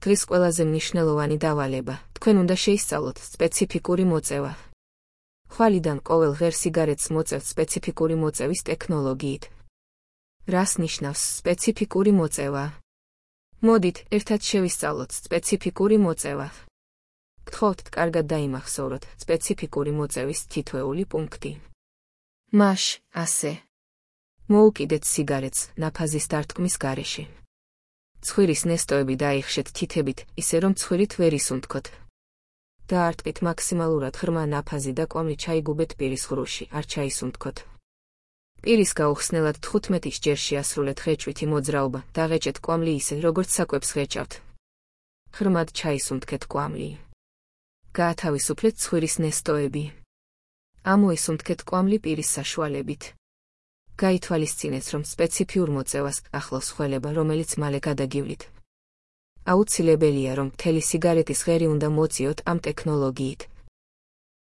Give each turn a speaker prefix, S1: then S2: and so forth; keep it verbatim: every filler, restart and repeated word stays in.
S1: დღის ყველაზე მნიშვნელოვანი დავალება, თქვენ უნდა შეისწავლოთ სპეციფიკური მოწევა. ხვალიდან ყოველ ღერ სიგარეტს მოწევთ სპეციფიკური მოწევის ტექნოლოგიით. რას ნიშნავს სპეციფიკური მოწევა? მოდით, ერთად შევისწავლოთ სპეციფიკური მოწევა. გთხოვთ, კარგად დაიმახსოვროთ სპეციფიკური მოწევის თითოეული პუნქტი. მაშ, ასე. მოუკიდეთ სიგარეტს ნაფაზის დარტყმის გარეშე. ცხვირის ნესტოები დაიხშეთ თითებით, ისე რომ ცხვირით ვერ ისუნთქოთ. დაარტყით მაქსიმალურად ღრმა ნაფაზი და კვამლი ჩაიგუბეთ პირის ღრუში, არ ჩაისუნთქოთ. პირის გაუხსნელად თხუთმეტი ჯერ შეასრულეთ ღეჭვითი მოძრაობა, დაღეჭეთ კვამლი ისე, როგორც საკვებს ღეჭავთ. ღრმად ჩაისუნთქეთ კვამლი. გაათავისუფლეთ ცხვირის ნესტოები. ამოისუნთქეთ კვამლი პირის საშუალებით. გაითვალისწინეთ, რომ სპეციფიურ მოწევას ახლავს ხველება, რომელიც მალე გადაგივლით. აუცილებელია, რომ მთელი სიგარეტის ღერი უნდა მოწიოთ ამ ტექნოლოგიით.